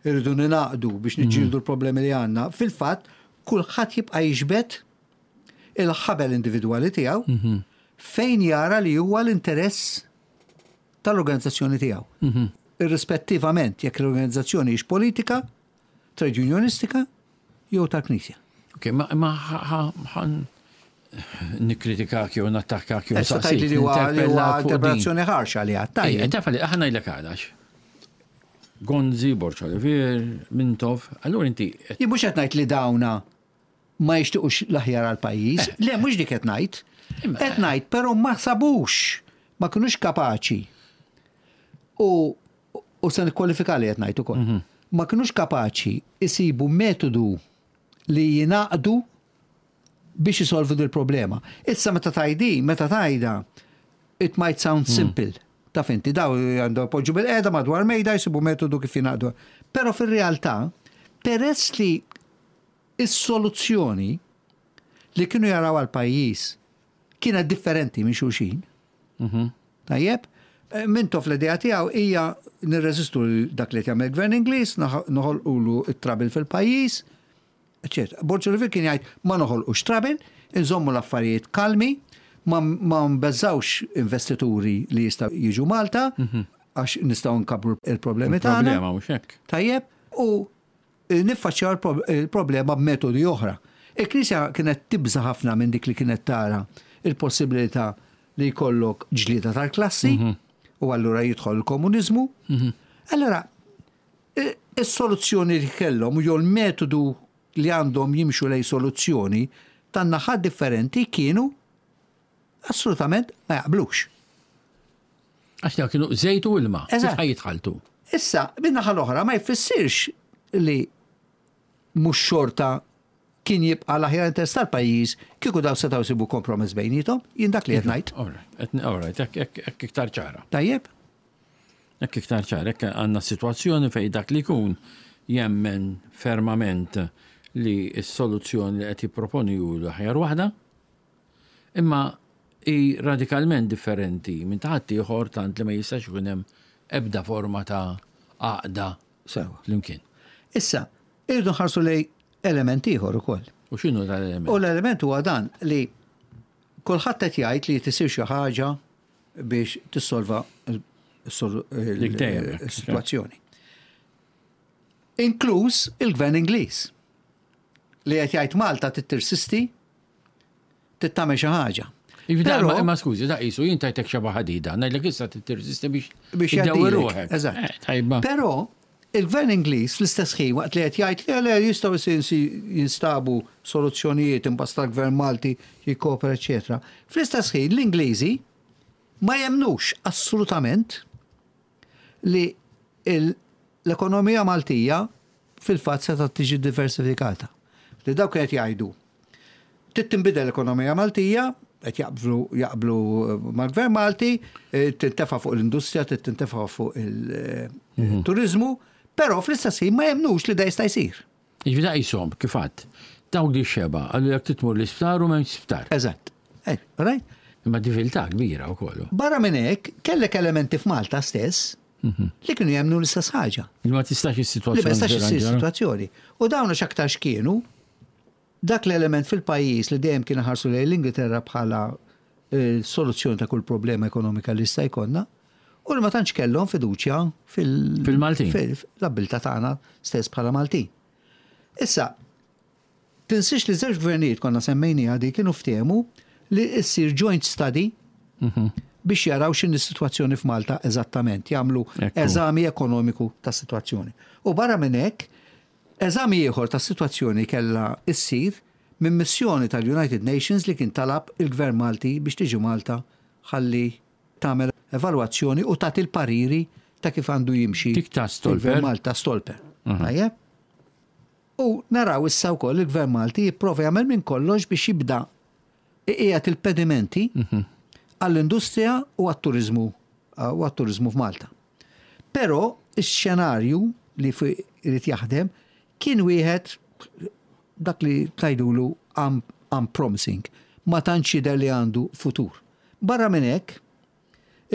irridu ningħaqdu biex niġġieldu l-problemi li għandna. Fil-fatt, kulħadd jibqa' jiġbed il-ħabel individwali tiegħu fejn jara li huwa l-interess tal-organizzazzjoni tiegħu. Irrispettivament jekk l-organizzazzjoni hix politika, trade unionistika jew tal-Knisja. Ok, ma ħan nikkritikak jew nattakkak jew Issa tgħidli li huwa interpretazzjoni ħarxa li għad tajjeb. Taf li aħna ngħidlek għalax. Gonzi, Borg Olivier, Mintoff, allura inti. Jien mhux qed ngħid li dawna ma jixtiequx l-aħjar għall-pajjiż. Le, mhux dik qed ngħid. Qed ngħid però ma sabux, ma kinux kapaċi. U u se nikkwalifika li qed ngħid ukoll. Ma kinux kapaċi jsibu metodu li jingħaqdu biex isolvu dil-problema. Issa meta tgħid meta tgħidha, it might sound simple. Taf inti, daw għandhom poġġu bil-qeda madwar mejda jsibu metodu kif jingħaqdu. Però fir-realtà, peress li is-soluzzjoni li kienu jaraw għal pajjiż kienet differenti minn xulxin. Tajjeb, Mintoff l-idea tiegħu hija nirreżistu dak li jagħmel gvern Ingliż, noħolqulu it-trouble fil-pajjiż, eċetera. Borg Olivier kien jgħid ma noħolqux trouble, inżommu l-affarijiet kalmi, ma nbeżawx investituri li jistgħu jiġu Malta, għax nistgħu nkabru il-problemi tagħna. Problema mhux hekk. Tajjeb, u niffaċċjaw il-problema b'metodi oħra. Il-Knisja kienet tibża ħafna minn dik li kienet tara il-possibilità li jkollok ġlieda tal-klassi u allura jidħol il-komuniżmu. Allora, is-soluzzjoni li kellhom jew l-metodu li għandhom jimxu lej soluzzjoni tan-naħat differenti kienu assolutament ma jaqblux. Għax daw kienu żejt u ilma. Kif jitħaltu? Issa, min-naħa l-oħra ma jfissirx li mhux xorta kien jibqa' l-aħjar interess tal-pajjiż kieku daw setgħu jsibu kompromess bejnietom, jien dak li qed ngħid. All right, hekk iktar ċara. Tajjeb? Hekk iktar ċara, hekk għandna sitwazzjoni fejn dak li jkun jemmen fermament li s-soluzzjoni li qed jipproponi hu l-aħjar waħda, imma hi radikalment differenti minn ta' ħaddieħor tant li ma jistax ikun hemm ebda forma ta' għaqda Sewa. flimkien. Issa, irridu nħarsu lej element ieħor ukoll. U x'inhu dal-element? U l-element huwa dan li kulħadd qed jgħid li tisir xi ħaġa biex tissolva Dik dejjem hekk. is-sitwazzjoni. Inkluż il-Gvern Ingliż li qed jgħid Malta tittirsisti tittamel xi ħaġa. Iva, Però- Ma skużi, da qisu jien tajtek xeba ħadida, ngħidlek issa tirsisti biex biex iddewwi jgħaddilek. ruħek. Eżatt. Tajba. Però il-gvern Ingliż fl-istess ħin waqt li qed jgħid li le jistgħu jinstabu soluzzjonijiet imbasta l-gvern Malti jikkopera eċetera. Fl-istess ħin l-Ingliżi ma jemnux assolutament li l-ekonomija Maltija fil-fatt setgħet tiġi diversifikata. Li dawk qed jgħidu trid tinbidel l-ekonomija Maltija, qed jaqblu jaqblu mal-Gvern Malti, tintefa' fuq l-industrija, trid tintefa' fuq il-turiżmu, però fl-istess ħin ma jemmnux li da jista' jsir. Jiġifieri da qishom, kif għedt, dawk li xeba, qalu jekk trid tmur l-isptar u m'hemmx sptar. Eżatt. Right? Imma diffikultà kbira wkoll. Barra minn hekk, kellek elementi f'Malta stess li kienu jemmnu l-istess ħaġa. Li ma tistax is-sitwazzjoni. Li ma tistax issir sitwazzjoni. U dawn x'aktarx kienu dak l-element fil-pajjiż li dejjem kien ħarsu lejn l-Ingilterra bħala soluzzjoni ta' kull problema ekonomika li jista' jkollna, u li ma tantx kellhom fiduċja fil- Fil-Maltin. Fil-abbiltà tagħna stess bħala Maltin. Issa, tinsiex li żewġ gvernijiet konna semmejniha di kienu ftehmu li ssir joint study biex jaraw x'inhi s-sitwazzjoni f'Malta eżattament, jagħmlu eżami ekonomiku tas-sitwazzjoni. U barra minn hekk, eżami ieħor tas-sitwazzjoni kellha ssir minn missjoni tal-United Nations li kien talab il-Gvern Malti biex tiġi Malta ħalli tagħmel evalwazzjoni u tagħti l-pariri ta' kif għandu jimxi. Dik ta' Stolper. Il-Gvern Malta Stolper. Tajjeb? U naraw issa wkoll il-Gvern Malti jipprova jagħmel minn kollox biex jibda iqiegħed il-pedimenti għall-industrija u għat-turiżmu u għat-turiżmu f'Malta. Però ix-xenarju li irid jaħdem kien wieħed dak li tgħidulu unpromising. Ma tantx jidher li għandu futur. Barra minn hekk,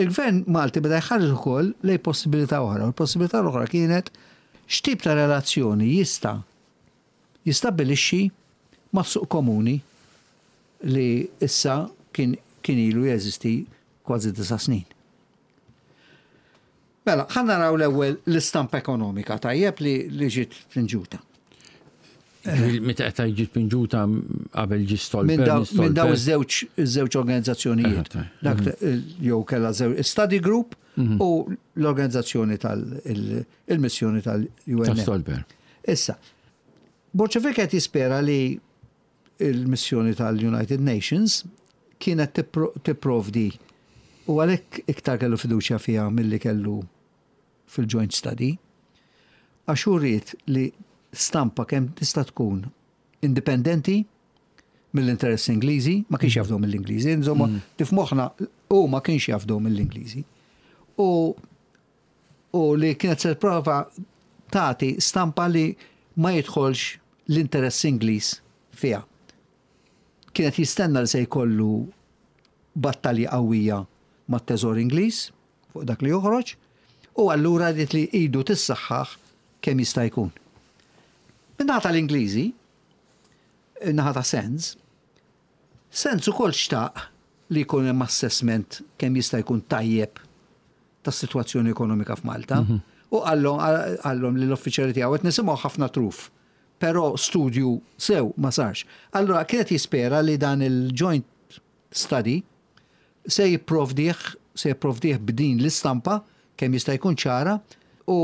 il-Gvern Malti beda jħares ukoll lejn possibilità oħra. U l-possibilità l-oħra kienet x'tip ta' relazzjoni jista' jistabbilixxi mas-suq komuni li issa kien kien ilu jeżisti kważi 9 snin. Mela, ħa naraw l-ewwel l-istampa ekonomika tajjeb li ġiet pinġuta. Meta qed ġiet pinġuta qabel ġi Stolper. Minn daw iż-żewġ organizzazzjonijiet. Dak jew kellha żewġ study group u l-organizzazzjoni tal-missjoni tal-UN. Stolper. Issa, Borg Olivier qed jispera li il-missjoni tal-United Nations kienet tipprovdi u għalhekk iktar kellu fiduċja fiha milli kellu fil-joint study, għax hu ried li stampa kemm tista' tkun indipendenti mill-interess Ingliżi, ma kienx jafdhom mill-Ingliżi, insomma, tifmoħna u ma kienx jafdhom mill-Ingliżi. U li kienet se prova tagħti stampa li ma jidħolx l-interess Ingliż fiha. Kienet jistenna li se jkollu battalja qawwija mat-teżor Ingliż fuq dak li joħroġ u allura ried li idu tissaħħaħ kemm jista' jkun. Min-naħa tal-Ingliżi, naħa ta' Sands, Sands ukoll xtaq li jkun hemm assessment kemm jista' jkun tajjeb tas-sitwazzjoni ekonomika f'Malta. U qallhom li l-uffiċjali tiegħu qed nisimgħu ħafna truf, però studju sew ma sarx. Allura kienet jispera li dan il-joint study se jipprovdih b'din l-istampa kemm jista' jkun ċara u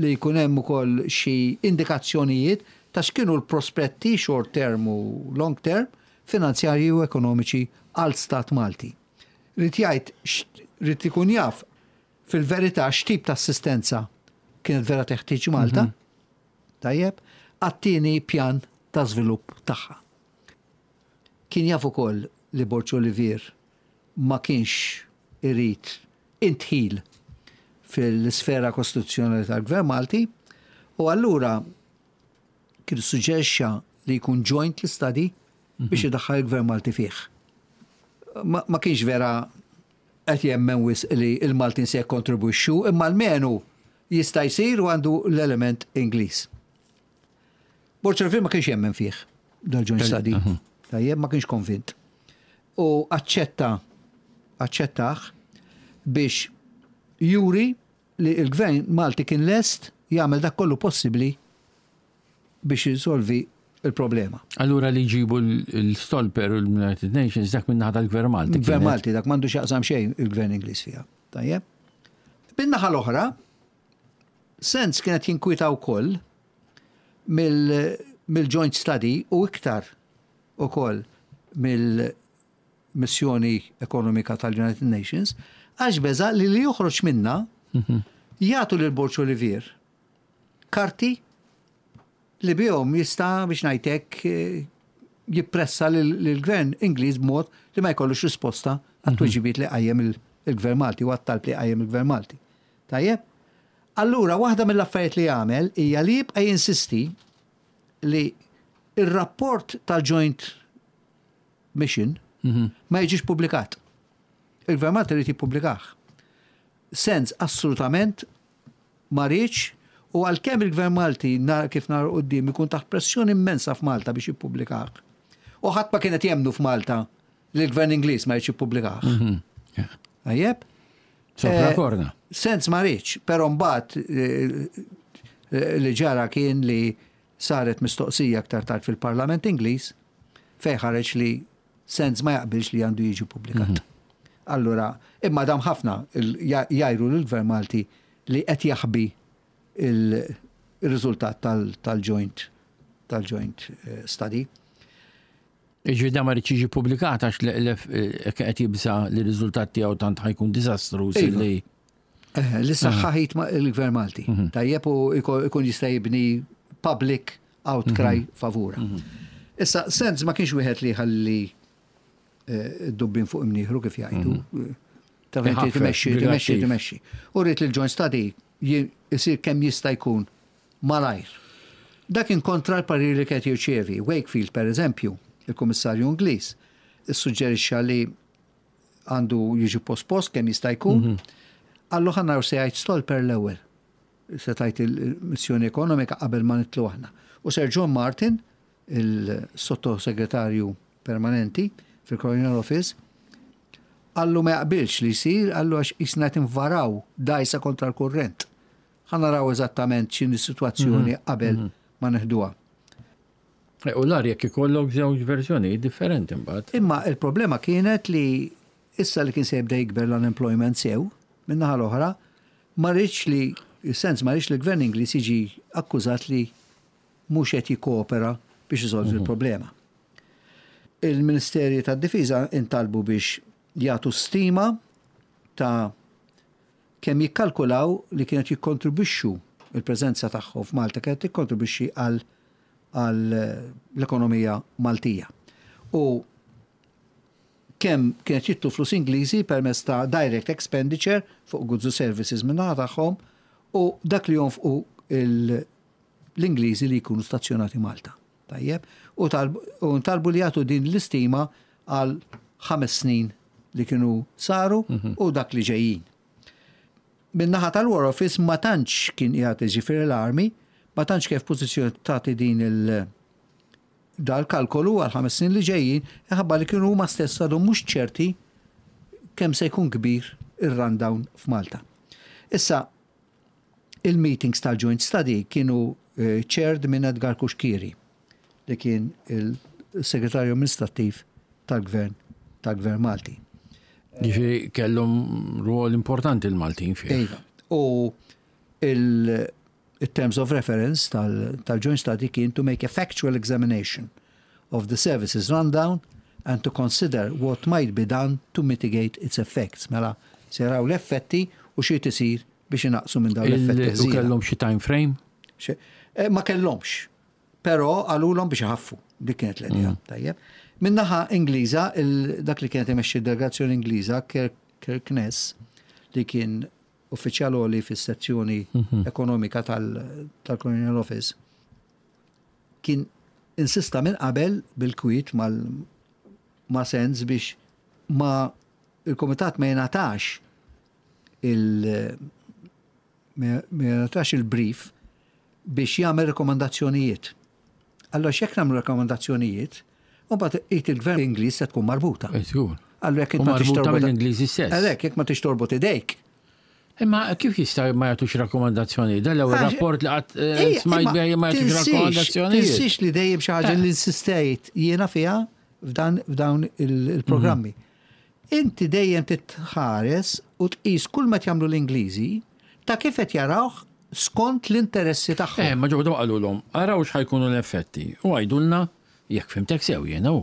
li jkun hemm ukoll xi indikazzjonijiet ta' x'kienu l-prospetti short term u long term finanzjarji u ekonomiċi għal stat Malti. Ried jgħid, ried ikun jaf fil-verità x'tip ta' assistenza kienet vera teħtieġ Malta, tajjeb, għat-tieni pjan ta' żvilupp tagħha. Kien jaf ukoll li Borg Olivier ma kienx irid indħil fil-sfera kostituzzjonali tal-Gvern Malti u allura kien suġġerixxa li jkun joint l-study biex idaħħal il-Gvern Malti fih. Ma kienx vera qed jemmen wisq li il-Maltin se jikkontribwixxu, imma almenu jista' jsir u għandu l-element Ingliż. Borg Olivier ma kienx jemmen fih dal-joint study. Tajjeb, ma kienx konvint. U aċċettah biex juri li il-gvern Malti kien lest jagħmel dak kollu possibbli biex jisolvi il-problema. Allura li jġibu l-Stolper u l-United Nations dak minn naħa tal-Gvern Malti. Gvern Malti, dak m'għandu x'jaqsam xejn il-gvern Ingliż fiha. Tajjeb. Bin-naħa l-oħra, Sands kienet jinkwieta wkoll mill-joint study u iktar ukoll mill-missjoni ekonomika tal-United Nations, għax beża li li joħroġ minna jagħtu lil Borg Olivier karti li bihom jista' biex ngħidlek jippressa lill-gvern Ingliż b'mod li ma jkollux risposta għat-tweġibiet li qajjem il-gvern Malti u għat-talb li qajjem il-gvern Malti. Tajjeb? Allura, waħda mill-affarijiet li jagħmel hija li jibqa' jinsisti li ir-rapport tal-Joint Mission ma jiġix publikat. Il-Gvern Malti irid jippubblikah. Sands assolutament ma riedx u għalkemm il-Gvern Malti kif nara quddiem ikun taħt pressjoni immensa f'Malta biex jippubblikah. U ħadd ma kienet jemnu f'Malta li l-Gvern Ingliż ma jridx jippubblikah. Tajjeb? Sopra korna. Sands ma riedx, però mbagħad li ġara kien li saret mistoqsija aktar tard fil-Parlament Ingliż fejn ħareġ li Sands ma jaqbilx li għandu jiġi publikat. Allura, imma dam ħafna jgħajru l-Gvern Malti li qed jaħbi il-riżultat tal-joint tal-joint study. Iġi da ma riedx jiġi publikat għax qed jibża li r-riżultat tiegħu tant ħa jkun diżastruż li. Li saħħaħit il-Gvern Malti. Tajjeb u ikun jista' jibni public outcry favura. Issa, Sands ma kienx wieħed li ħalli dubbin fuq imnieħru kif jgħidu. Ta' timexxi, timexxi, timexxi. U ried li l-joint study jisir kemm jista' jkun malajr. Dak kontra l-parir li kien jirċievi. Wakefield, per eżempju, il-Kummissarju Ingliż, issuġġerixxa li għandu jiġi pospost kemm jista' jkun. Qallu ħa naraw se jgħid Stolper l-ewwel. Se tgħid il-missjoni ekonomika qabel ma nidħlu aħna. U Sir John Martin, il-sottosegretarju permanenti fil-Colonial Office, qallu ma jaqbilx li jsir, qallu għax jisna tinvaraw dajsa kontra l-kurrent. Ħa naraw eżattament x'inhi s-sitwazzjoni qabel ma neħduha. U l jekk ikollok żewġ verżjoni differenti mbagħad. Imma il-problema kienet li issa li kien se jibda jikber l-unemployment sew, min-naħa l-oħra, ma riedx li, Sands ma riedx li l-gvern Ingliż jiġi akkużat li mhux qed jikkoopera biex isolvi l-problema. Il-Ministeri tad-Difiża intalbu biex jagħtu stima ta' kemm jikkalkulaw li kienet jikkontribwixxu il-preżenza tagħhom f'Malta kienet tikkontribwixxi għal l-ekonomija Maltija. U kemm kienet jidħlu flus Ingliżi permezz ta' direct expenditure fuq goods u services min-naħa tagħhom u dak li jonfqu l-Ingliżi li jkunu stazzjonati Malta. Tajjeb, u ntalbu li jagħtu din l-istima għal 5 snin li kienu saru u dak li ġejjin. Min-naħa tal-War Office ma tantx kien qiegħed ġifieri l-army, ma tantx kif pożizzjoni tagħti din il- dal-kalkolu għal 5 snin li ġejjin, ħabba li kienu huma stess għadhom mhux ċerti kemm se jkun kbir ir-rundown f'Malta. Issa, il-meetings tal-Joint Study kienu chaired minn Edgar Cuschieri, li kien il-segretarju amministrattiv tal-gvern Malti. Ġifieri kellhom rwol importanti l-Maltin fih. Iva. U il-terms of reference tal-Joint Study kien to make a factual examination of the services rundown and to consider what might be done to mitigate its effects. Mela, se jaraw l-effetti u xi tisir biex inaqsu minn dawn l-effetti. U kellhom xi time frame? Ma kellhomx. Però qalulhom biex iħaffu. Dik kienet l-idea. Tajjeb. Min-naħa Ingliża, dak li kienet imexxi delegazzjoni Ingliża, Kirkness, li kien uffiċjal għoli fis-sezzjoni ekonomika tal-Colonial Office, kien insista minn qabel bil-kwiet ma' Sands biex ma il-komitat ma jingħatax il-brief biex jagħmel rekomandazzjonijiet. Allora x'jekk nagħmlu rekomandazzjonijiet, u mbagħad id il-gvern Ingliż se tkun marbuta. Allora jekk ma tix torbot mill-Ingliżi stess. Għalhekk jekk ma tix torbot idejk. Imma kif jista' ma jagħtux rakkomandazzjoni? Dan l-ewwel rapport li qatt smajt bih ma jagħtux rakkomandazzjoni. Tinsiex li dejjem xi ħaġa li insistejt jiena fiha f'dawn il-programmi. Inti dejjem titħares u tqis kull ma jagħmlu l-Ingliżi ta' kif qed jarawh skont l-interessi tagħhom. Ma ġew qalulhom, araw x'ħa jkunu l-effetti u għidulna jekk fhimtek sew jiena hu.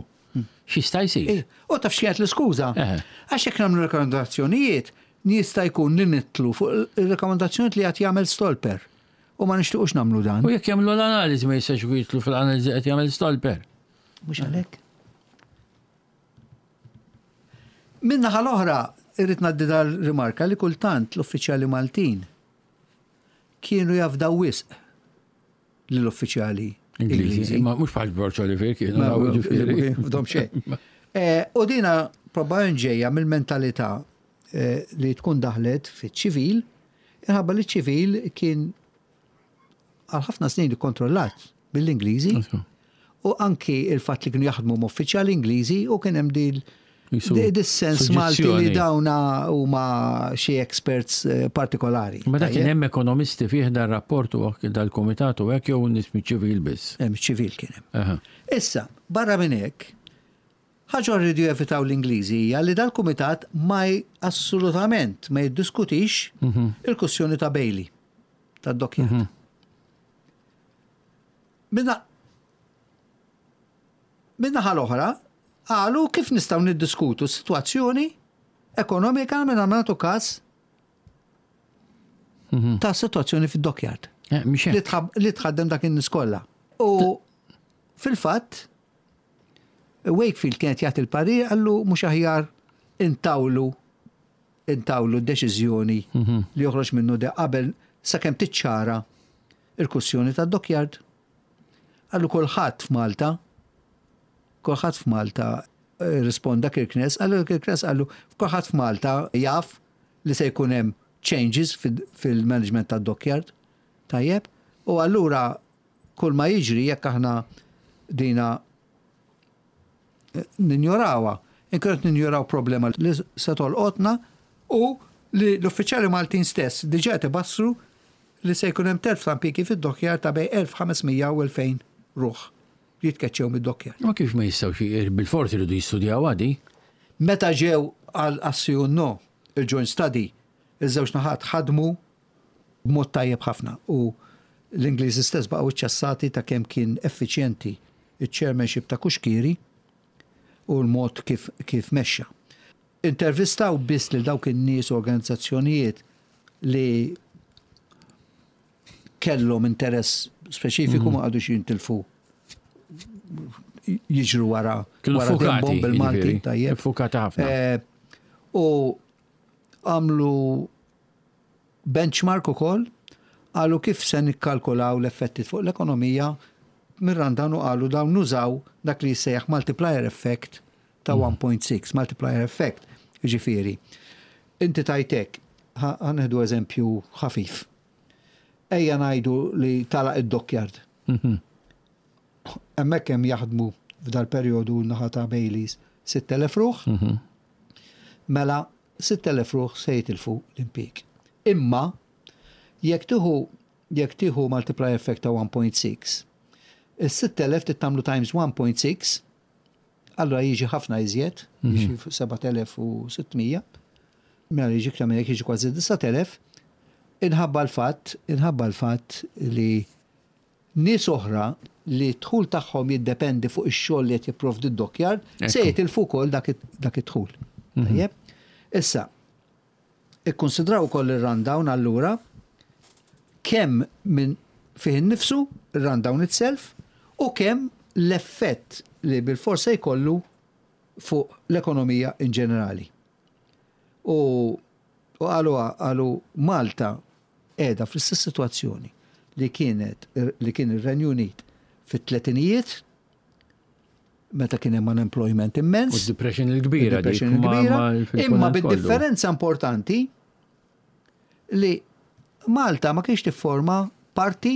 X'jista' jsir? U taf x'kienet l-iskuża? Għax jekk nagħmlu rekomendazzjonijiet, jista' jkun li nidħlu fuq il-rekomendazzjonijiet li qed jagħmel Stolper. U ma nixtiequx nagħmlu dan. U jekk jagħmlu l-analiżi ma jistax jitlu fl-analiżi qed jagħmel Stolper. Mhux għalhekk. Min-naħa l-oħra, irrid ngħaddi dal-rimarka li kultant l-uffiċjali Maltin kienu jafdaw wisq lill-uffiċjali Ingliżi. Ma mhux bħal George Oliver kienu ġifieri. Fdom xejn. Eh, u dina probabbilment ġejja mill-mentalità eh, li tkun daħlet fiċ-ċivil, inħabba li ċ-ċivil kien għal ħafna snin ikkontrollat mill-Ingliżi u anki il-fatt li kienu jaħdmu m'uffiċjali Ingliżi u kien hemm dil dis-sens Malti li dawna huma xi experts eh, partikolari. Ma dak kien hemm ekonomisti fih dar rapport u dal-kumitat u hekk jew nies miċ-ċivil biss. Hemm ċivil kien hemm. Issa, barra minn hekk, ħaġa rridu jevitaw l-Ingliżi hija li dal-kumitat ma assolutament ma jiddiskutix mhm. il-kussjoni ta' Bailey tad-dockyard. Mhm. Min-naħa l-oħra, qalu kif nistgħu niddiskutu s-sitwazzjoni ekonomika mingħajr ma nagħtu każ mhm. ta' sitwazzjoni fid-dockyard. Eh, li tħaddem dak in-nies kollha. U fil-fatt, Wakefield kienet jagħti l-parir qallu mhux aħjar intawlu intawlu d-deċiżjoni mhm. li joħroġ minnu de qabel sakemm tiċċara il-kwistjoni tad-dockyard. Qallu kulħadd f'Malta, kulħadd f'Malta eh, risponda Kirknes, qallu Kirknes qallu kulħadd f'Malta jaf li se jkun hemm changes fil-management tad-dockyard. Tajjeb? U allura kull ma jiġri jekk aħna dina eh, ninjorawha, inkunu qed ninjoraw problema li se tolqotna u li l-uffiċjali Maltin stess diġà qed ibassru li se jkun hemm telf ta' impjiegi fid-dockyard ta' bejn 1,500 u 2,000 ruħ li jitkeċċew mid-dockyard. Ma kif ma jistgħux bilfors iridu jistudjawha di? Meta ġew għal sì u no, il-joint study, iż-żewġ naħat ħadmu b'mod tajjeb ħafna u l-Ingliżi stess baqgħu iċċassati ta' kemm kien effiċjenti ċ-chairmanship ta' Cuschieri u l-mod kif kif mexxa. Intervistaw biss lil dawk in-nies u organizzazzjonijiet li kellhom interess speċifiku ma qagħdux jintilfu jiġru wara wara dembhom bil-Malti tajjeb. Fukati ħafna. Eh, u għamlu benchmark ukoll, qalu kif se nikkalkulaw l-effetti fuq l-ekonomija mir-rundown u qalu dawn nużaw dak li jissejjaħ multiplier effect ta' 1.6, multiplier effect, jiġifieri. Inti tajt hekk, ħa nieħdu eżempju ħafif. Ejja ngħidu li tagħlaq id-dockyard. Mhm. Hemmhekk hemm jaħdmu f'dal-perjodu naħa ta' Baileys 6,000 ruħ. Mhm. Mela 6,000 ruħ se jitilfu l-impjieg. Imma jekk tieħu jekk tieħu multiplier effect ta' 1.6, is-6,000 trid tagħmlu times 1.6, allura jiġi ħafna iżjed, mhm. jiġi 7,600, mela jiġi iktar minn hekk jiġi kważi 9,000, inħabba l-fatt, inħabba l-fatt li Nies oħra li d-dħul tagħhom jiddependi fuq ix-xogħol li qed jipprovdi d-dockyard se jitilfu wkoll dak id-dħul. Mhm. Tajjeb? Issa, ikkunsidraw ukoll ir-rundown allura kemm minn fih innifsu, ir-rundown itself, u kemm l-effett li bilfors se jkollu fuq l-ekonomija in ġenerali. U qalu qalu Malta qiegħda fl-istess sitwazzjoni li kienet li kien ir-Renju Unit fit-tletinijiet meta kien hemm unemployment immens. U d-depression il-kbira. Depression il-kbira. Imma bid-differenza importanti li Malta ma kienx tifforma parti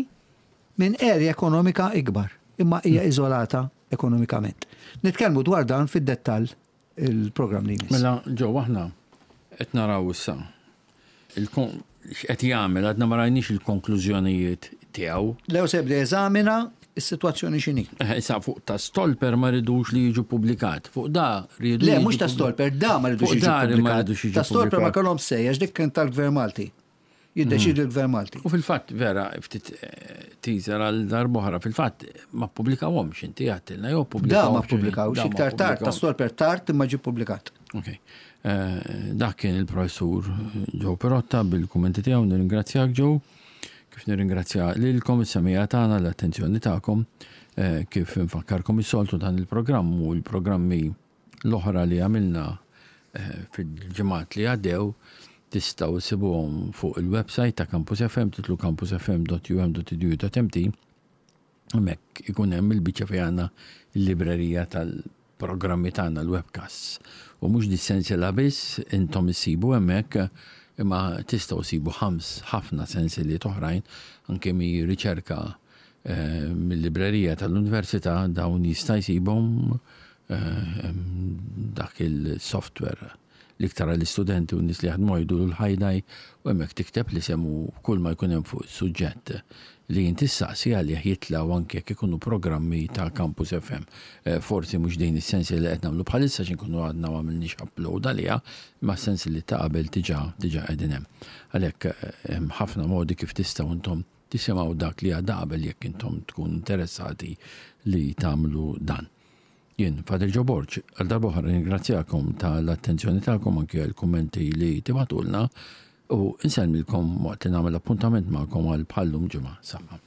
minn area ekonomika ikbar, imma hija hmm. iżolata ekonomikament. Nitkellmu dwar dan fid-dettall il-programm li jmiss. Mela, ġew aħna qed naraw issa x'qed jagħmel għadna ma rajniex il-konklużjonijiet tiegħu. Lew se jibda jeżamina s-sitwazzjoni x'inhi. Eh, issa fuq ta' Stolper ma ridux li jiġu publikat. Fuq da rridu. Le, mhux ta' Stolper, da ma ridux jiġu publikat. Ta' Stolper ma kellhom sej, għax dik kien tal-Gvern Malti. Jiddeċidi mm. l-Gvern Malti. U fil-fatt, vera, ftit eh, teaser għal darbohra, fil-fatt ma ppubblikawhomx inti għattilna jew pubblikawhom. Da ma ppubblikawx, iktar tard, ta' Stolper tard imma ġie ppubblikat. Ok. Eh, dak kien il-professur Joe Perotta bil-kummenti tiegħu, nirringrazzjak Joe. Kif nirringrazzja lilkom is-semija tagħna l-attenzjoni tagħkom, eh, kif nfakkarkom is-soltu dan il-programm u l-programmi l-oħra li għamilna eh, fil-ġimgħat li għaddew tistgħu issibuhom fuq il-website ta' Campus FM titlu campusfm.um.edu.mt Hemmhekk ikun hemm il-biċċa fejn għandna l-librerija tal-programmi tagħna l-webcasts. U mhux dis-sensiela biss intom issibu hemmhekk imma tistgħu ssibu ħams ħafna sensiliet oħrajn anke mi riċerka eh, mill-librerija tal-università dawn jista' jsibhom eh, dak il-software l-iktar għall-istudenti u n-nies li jaħdmu jgħidu l-ħajdaj u hemmhekk tikteb l-isem u kull ma jkun hemm fuq is-suġġett li inti ssaqsi għalih jitlgħu anke jekk ikunu programmi ta' Campus FM. Eh, forsi mhux din is-sensi li qed nagħmlu bħalissa x'inkunu għadna ma għamilniex upload għaliha, imma s-sensi li ta' qabel diġà diġà qegħdin hemm. Għalhekk eh, hemm ħafna modi kif tistgħu intom tisimgħu dak li għadda qabel jekk intom tkun interessati li tagħmlu dan. Jien, Father Joe Borg, għal darb'oħra nirringrazzjakom tal-attenzjoni tagħkom anki għall-kummenti li tibagħtulna u nsellmilkom waqt li nagħmel appuntament magħkom għal bħal-lum ġimgħa. Saħħa.